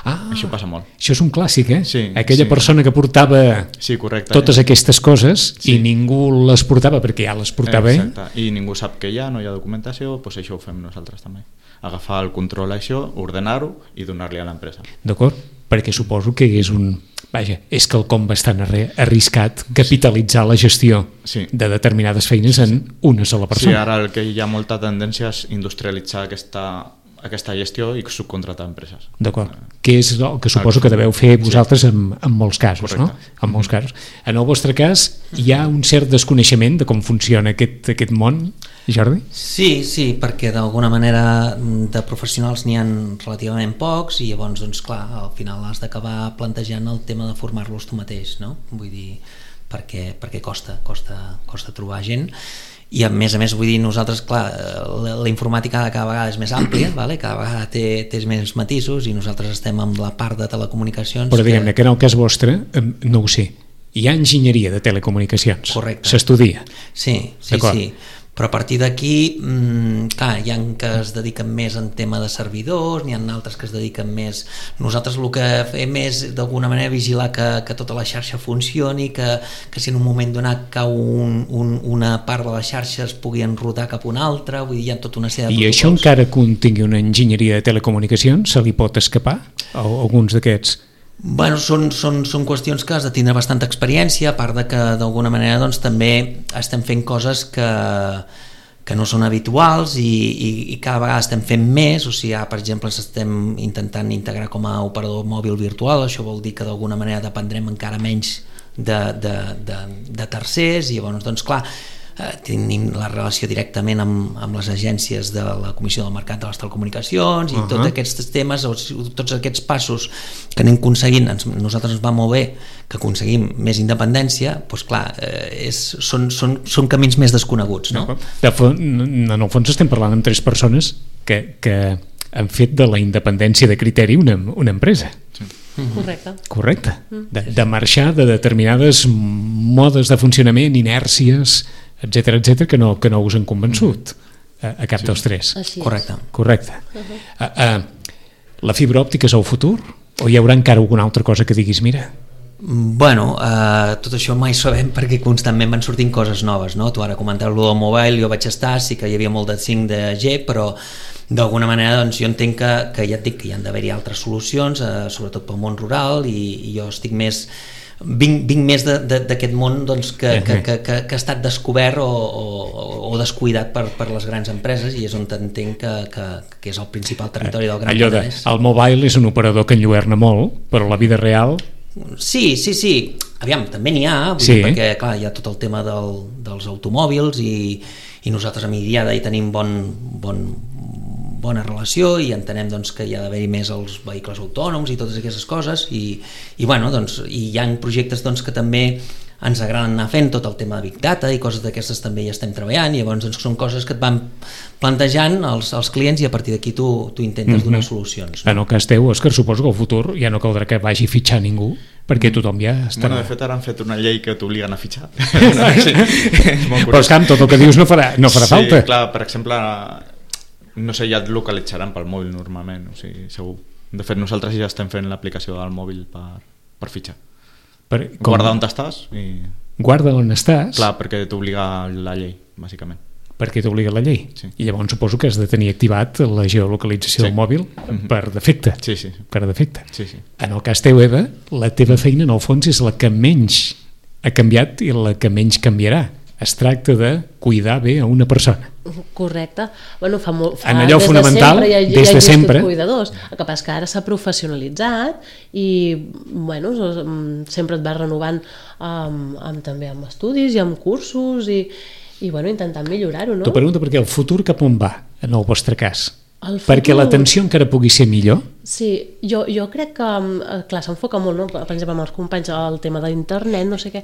Ah, això passa molt. Això és un clàssic, eh? Sí, aquella sí. persona que portava sí, correcte, totes eh? aquestes coses sí. i ningú les portava perquè ja les portava ell. Exacte. I ningú sap que hi ha, no hi ha documentació, doncs això ho fem nosaltres també. Agafar el control a això, ordenar-ho i donar-li a l'empresa. D'acord? Perquè suposo que és un vaja, és quelcom bastant arriscat capitalitzar la gestió sí. de determinades feines en una sola persona. Sí, ara el que hi ha molta tendència és industrialitzar aquesta, aquesta gestió i subcontratar empreses. D'acord. Que és el que suposo que deveu fer vosaltres sí. en, en molts casos, correcte. No? En molts casos. En el vostre cas, hi ha un cert desconeixement de com funciona aquest, aquest món, Jordi? Sí, sí, perquè d'alguna manera de professionals n'hi ha relativament pocs i llavors, doncs clar, al final has d'acabar plantejant el tema de formar-los tu mateix, no? Vull dir, perquè, perquè costa, costa, costa trobar gent. I a més a més, vull dir, nosaltres, clar, la, la informàtica cada vegada és més àmplia, vale? Cada vegada té, té més matisos i nosaltres estem amb la part de telecomunicacions. Però diguem-ne que... que en el cas vostre, no ho sé, hi ha enginyeria de telecomunicacions. Correcte. S'estudia. Sí, sí, sí. Però a partir d'aquí, mmm, clar, hi ha que es dediquen més en tema de servidors, n'hi ha altres que es dediquen més... Nosaltres el que fem és d'alguna manera vigilar que, que tota la xarxa funcioni, que, que si en un moment donat cau un, un, una part de la xarxa es pugui enrotar cap a una altra, vull dir, hi ha tota una sèrie de I protocols. això encara que un tingui una enginyeria de telecomunicacions, se li pot escapar a alguns d'aquests? Bueno, són, són, són qüestions que has de tindre bastanta experiència, a part de que d'alguna manera doncs, també estem fent coses que, que no són habituals i, i, i cada vegada estem fent més, o sigui, per exemple, ens estem intentant integrar com a operador mòbil virtual, això vol dir que d'alguna manera dependrem encara menys de, de, de, de tercers i llavors, doncs clar, Eh, tenim la relació directament amb, amb les agències de la Comissió del Mercat de les Telecomunicacions i uh -huh. tots aquests temes, tots aquests passos que anem aconseguint, ens, nosaltres ens va molt bé que aconseguim més independència, doncs clar, eh, és, són, són, són camins més desconeguts, no? De fons, en el fons estem parlant amb tres persones que, que han fet de la independència de criteri una, una empresa. Sí. Correcte. Correcte. De, de marxar de determinades modes de funcionament, inèrcies, etcètera, etcètera, que no, que no us han convençut a, a cap sí. dels tres. Així és. Correcte. Correcte. Uh-huh. Uh, uh, la fibra òptica és el futur? O hi haurà encara alguna altra cosa que diguis, mira... Bueno, eh, tot això mai sabem perquè constantment van sortint coses noves, no? Tu ara comentaves-lo del mobile, jo vaig estar, sí que hi havia molt de cinc G, però d'alguna manera doncs, jo entenc que, que ja et dic que hi han d'haver-hi altres solucions, eh, sobretot pel món rural, i, i jo estic més... Vinc, vinc més d'aquest món doncs, que, que, que, que, que ha estat descobert o, o, o descuidat per, per les grans empreses i és on entenc que, que, que és el principal territori del Gran Penedès. El mobile és un operador que enlluerna molt, però la vida real... Sí, sí, sí. Aviam, també n'hi ha, vull sí. dir, perquè clar, hi ha tot el tema del, dels automòbils i, i nosaltres a Midiada hi tenim bon, bon, bona relació i entenem doncs, que hi ha d'haver-hi més els vehicles autònoms i totes aquestes coses i, i, bueno, doncs, i hi ha projectes doncs, que també ens agraden anar fent, tot el tema de Big Data i coses d'aquestes també hi estem treballant i llavors doncs, són coses que et van plantejant els, els clients i a partir d'aquí tu, tu intentes donar mm-hmm. solucions. No? En el cas teu, Òscar, suposo que al futur ja no caldrà que vagi a fitxar ningú perquè tothom ja estarà... Bueno, de fet ara han fet una llei que t'obliguen a fitxar. Sí. Però esclar, tot el que dius no farà, no farà sí, falta. Sí, clar, per exemple... no sé, ja et localitzaran pel mòbil normalment, o sigui, segur. De fet, nosaltres ja estem fent l'aplicació del mòbil per, per fitxar. Per, guarda on estàs i... Guarda on estàs? Clar, perquè t'obliga la llei, bàsicament. Perquè t'obliga la llei? Sí. I llavors suposo que has de tenir activat la geolocalització sí. del mòbil per defecte. Sí, sí. Per defecte. Sí, sí. En el cas teu, Eva, la teva feina en el fons és la que menys ha canviat i la que menys canviarà. Es tracta de cuidar bé a una persona. Correcte. Bueno, fa molt, fa en allò des fonamental, de sempre, hi ha, des de sempre. Cuidadors. El que passa que ara s'ha professionalitzat i bueno, sempre et vas renovant amb, amb, també amb estudis i amb cursos i, i bueno, intentant millorar-ho, no? T'ho pregunto perquè el futur cap on va, en el vostre cas? El futur... Perquè l'atenció encara pugui ser millor? Sí, jo, jo crec que, clar, s'enfoca molt, no? Per exemple, amb els companys, el tema d'internet, no sé què,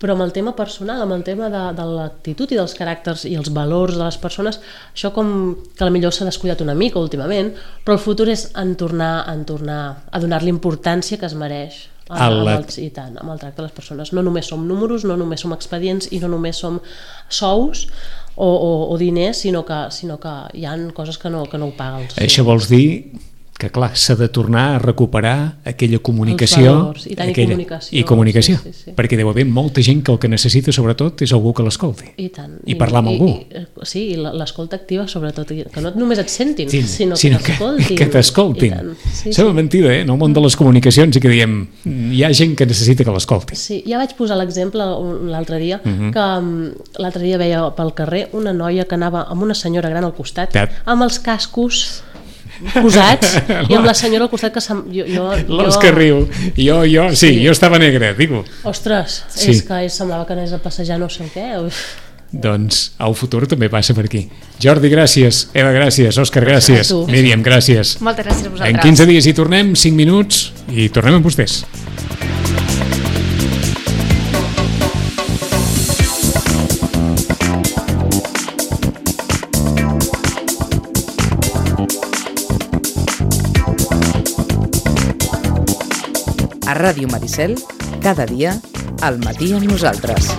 però amb el tema personal, amb el tema de, de l'actitud i dels caràcters i els valors de les persones, això com que potser s'ha descuidat una mica últimament, però el futur és en tornar, en tornar a donar-li importància que es mereix a, amb, el, i tant, amb el tracte de les persones. No només som números, no només som expedients i no només som sous o, o, o diners, sinó que, sinó que hi ha coses que no, que no ho paguen. Això vols dir que clar, s'ha de tornar a recuperar aquella comunicació, Els valors, i tant, i aquella, comunicació. i comunicació, Sí, sí, sí. perquè deu haver molta gent que el que necessita sobretot és algú que l'escolti I tant. i parlar amb I, algú. I, sí, i l'escolta activa sobretot, i que no només et sentin, Sí, sinó, sinó que t'escoltin. que, que t'escoltin. I tant. Sí, Sembla sí. mentida, eh? En el món de les comunicacions i que diem, hi ha gent que necessita que l'escolti. Sí, ja vaig posar l'exemple un- l'altre dia, uh Mhm. -huh. que um, l'altre dia veia pel carrer una noia que anava amb una senyora gran al costat, Tat. amb els cascos posats, i amb la senyora al costat que se'm, jo, jo, L'Òscar jo, que riu. Jo, jo, sí, Sí. jo estava negre, digue-ho. ostres, Sí. és que semblava que anés a passejar no sé què. Uf. Doncs el futur també passa per aquí. Jordi, gràcies. Eva, gràcies. Òscar, gràcies. A tu. Míriam, gràcies. Moltes gràcies a vosaltres. En quinze dies hi tornem, cinc minuts, i tornem amb vostès. A Ràdio Maricel, cada dia, al matí amb nosaltres.